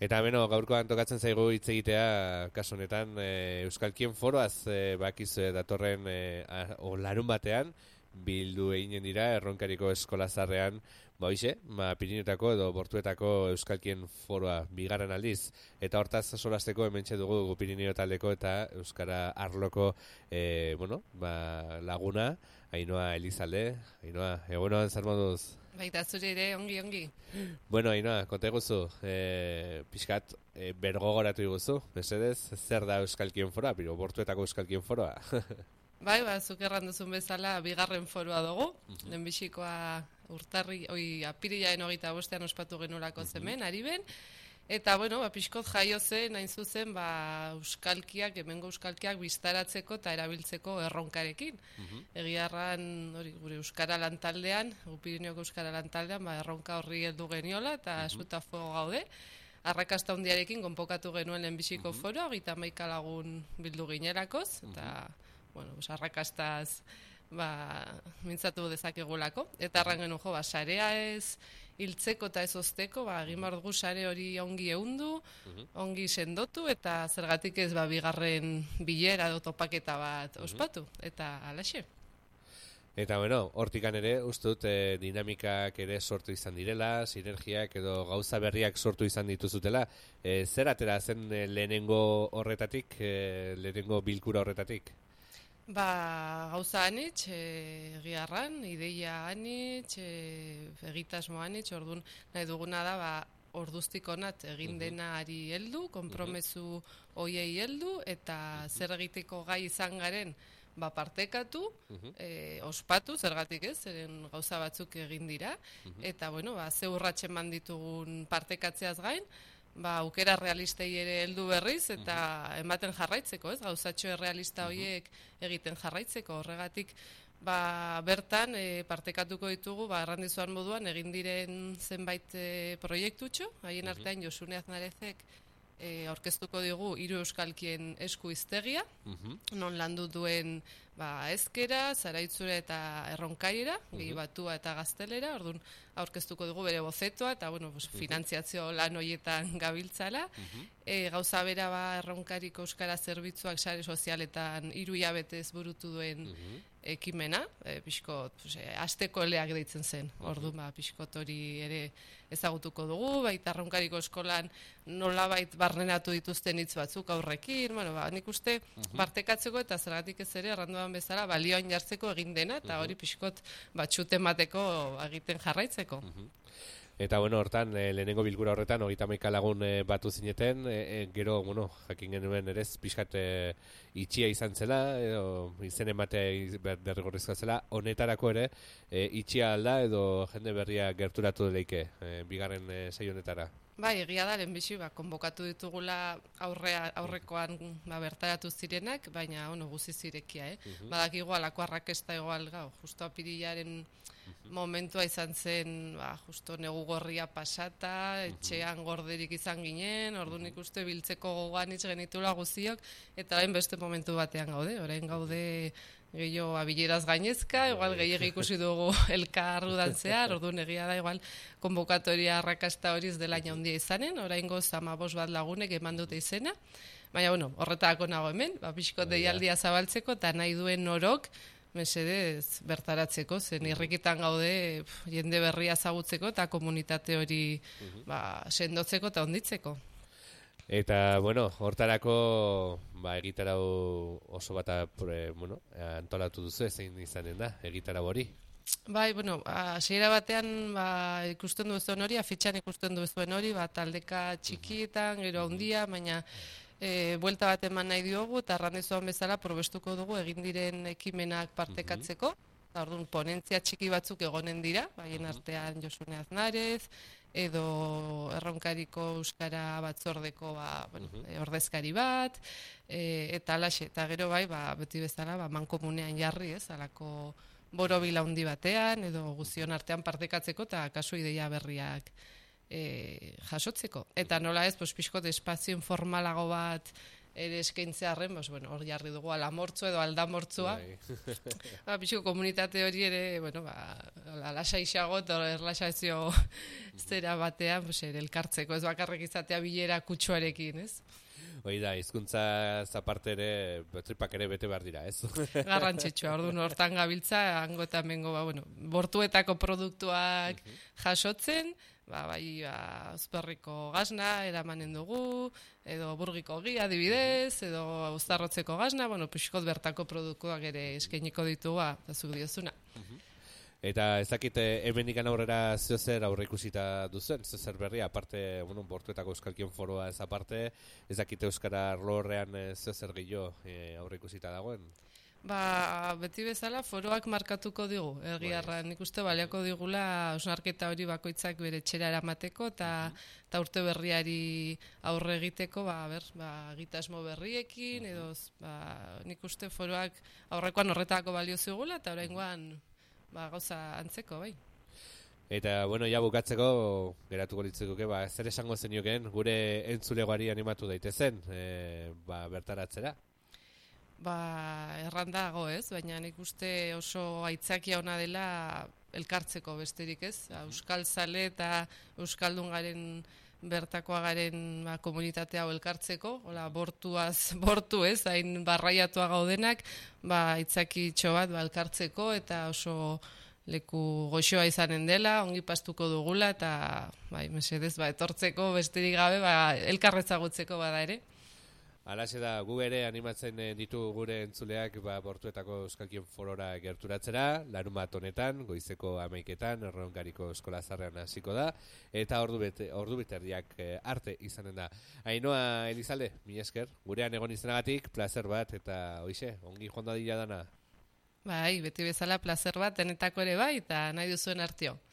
Eta beno, gaurkoan tokatzen zaigu hitz egitea, kasu honetan, Euskalkien foroaz bakizu datorren larun batean, bildu eginen dira Erronkariko eskolazarrean, Pirinioetako edo Bortuetako Euskalkien foroa bigarren aldiz. Eta hortaz solasteko hementxe dugu Pirinio taldeko eta Euskara arloko laguna, Ainhoa Elizalde. Ainhoa, egunoan zer moduz? Baita zure ere, ongi. Bueno, Ainhoa, konta eguzu, pixkat bergogoratu iguzu, mesedez, zer da Euskalkien foroa, Bortuetako Euskalkien foroa? Bai, zuk erranduzun bezala bigarren foroa dugu, lehenbizikoa apirilaren 25 ospatu genolako zemen, Ariben, eta, pixkot jaio zen, hain zuzen, euskalkiak, hemengo euskalkiak biztaratzeko eta erabiltzeko erronkarekin. Egiarran, gure Euskara lantaldean, Pirineoko Euskara lantaldean, erronka horri heldu geniola, eta esutafo gaude. Arrakasta hundiarekin konpokatu genuen lehenbiziko foroa, 31 lagun bildu ginerakoz, eta, arrakastaz mintzatu dezakegulako. Eta arran genuen sarea ez hiltzeko eta ez ozteko, egin behar dugu sare hori ongi ehundu, ongi sendotu, eta zergatik ez bigarren bilera edo topaketa bat ospatu, eta alaxe. Eta hortikan ere, ustut dinamikak ere sortu izan direla, sinergiak edo gauza berriak sortu izan dituzutela. Zer atera zen lehenengo horretatik, lehenengo bilkura horretatik? Gauza anitz, egiarran, ideia anitz, egitasmo anitz, orduan nahi duguna da, orduztik onat egin denari heldu, konpromesu hoiei heldu, eta zer egiteko gai izan garen partekatu, ospatu, zergatik ez, zeren gauza batzuk egin dira, eta ze urratsen manditugun partekatzeaz gain, aukera realistei ere heldu berriz eta ematen jarraitzeko, ez? Gauzatxo errealista horiek egiten jarraitzeko, horregatik bertan partekatuko ditugu, errandizuan moduan egin diren zenbait proiektutxo, haien artean Josune Aznarezek aurkeztuko digu 3 euskalkien esku hiztegia, non landu duen ezkera, zaraitzura eta erronkaira, gehi batua eta gaztelera, orduan aurkeztuko dugu bere bozetoa, eta finantziazio lan horietan gabiltzala. Gauza bera erronkariko euskara zerbitzuak sare sozialetan 3 hilabetez burutu duen ekimena, pixkot, asteko eleak deitzen zen, orduan pixkot hori ere ezagutuko dugu, baita erronkariko eskolan nolabait barrenatu dituzten hitz batzuk aurrekin, nik uste partekatzeko eta zergatik ez ere erranduan bezala balioan jartzeko egin dena, eta hori pixkot batxute mateko egiten jarraitzeko. Eta hortan, lehenengo bilkura horretan, 31 lagun batu zineten, gero, jakin genuen ere, pixkat itxia izan zela, edo izen ematea derrigorrezkoa zela, honetarako ere, itxia alda edo jende berria gerturatu deleike, bigarren sei honetara. Egia da, lehenbizi, konbokatu ditugula aurrekoan bertaratu zirenak, baina, guzi zirekia, Badak igual, alako arrakesta igual, justo apirilaren momentua izan zen, justo negu gorria pasata, etxean gorderik izan ginen, orduan ikuste biltzeko gogoan hitz genitula guziok, eta orain beste momentu batean gaude, orain gaude gehiago abileraz gainezka, igual gehiago ikusi dugu elkar udan zehar, orduan egia da, igual konbokatoria arrakasta hori ez dela handia izanen, orain goz 15 bat lagunek eman dute izena, baina, horretako nago hemen, pixkot deialdia zabaltzeko, eta nahi duen orok, mesedez bertaratzeko, zen irrikitan gaude jende berria ezagutzeko eta komunitate hori sendotzeko eta onditzeko. Eta, hortarako egitarau oso bat antolatu duzu zein izanen da, egitarau hori? Hasiera batean ikusten duzuen hori, afitxan ikusten duzuen hori, taldeka txikietan, gero handia, baina buelta bat eman nahi diogu, eta arrandezuan bezala probestuko dugu egin diren ekimenak partekatzeko. Orduan, ponentzia txiki batzuk egonen dira, haien artean Josune Aznarez, edo Erronkariko Euskara batzordeko ordezkari bat, eta alaxe, eta gero beti bezala mankomunean jarri, alako borobila handi batean, edo guzion artean partekatzeko, eta kasu ideia berriak jasotzeko. Eta nola ez, pixkot espazio informalago bat ere eskaintzearren, bueno, hor jarri dugu alamortzu edo aldamortzua. Pixko komunitate hori ere, alasaixago eta erlaxazio zera batean, ere elkartzeko, ez bakarrik izatea bilera kutsuarekin, ez? Hoi da, hizkuntza zaparte ere, tripak ere bete behar dira, ez? Garrantzitsua, orduan hortan gabiltza, hango eta mengo, bortuetako produktuak jasotzen, uzperriko gazna eramanen dugu, edo burgiko gi adibidez, edo uztarrotzeko gazna, pixkot bertako produktuak ere eskainiko ditugu, eta zuk diozuna. Eta ez dakit hemendikan aurrera zer aurre ikusita duzen, zer berria, aparte, bortuetako Euskalkien foroa ez aparte, ez dakit Euskara arlo horrean zer gehiago aurre ikusita dagoen? Beti bezala foroak markatuko digu, egiarra nik uste baliako digula hausnarketa hori bakoitzak bere txera eramateko eta urte berriari aurre egiteko, egitasmo berriekin, edo nik uste foroak aurrekoan horretako balio zigula eta oraingoan gauza antzeko, bai. Eta, ja bukatzeko, geratuko litzekoke, zer esango zenioken gure entzulegoari animatu daitezen, bertaratzera? Errandago ez, baina nik uste oso aitzakia ona dela elkartzeko besterik ez, Euskal Zale eta Euskaldun garen bertakoa garen komunitate hau elkartzeko, bortu ez, hain barraiatua gaudenak, aitzakitxo bat elkartzeko eta oso leku goxoa izanen dela, ongi pastuko dugula eta mesedez etortzeko besterik gabe elkarretzagutzeko bada ere. Halaxe da, gu ere animatzen ditu gure entzuleak bortuetako Euskalkien forora gerturatzera, larunbat honetan, goizeko 11etan, Erronkariko Eskola Zaharrean hasiko da, eta ordu biterdiak arte izanen da. Ainhoa Elizalde, mila esker, gurean egon izanagatik, plazer bat, eta hoixe, ongi joan dadila dana. Beti bezala plazer bat, denetako ere eta nahi duzuen artio.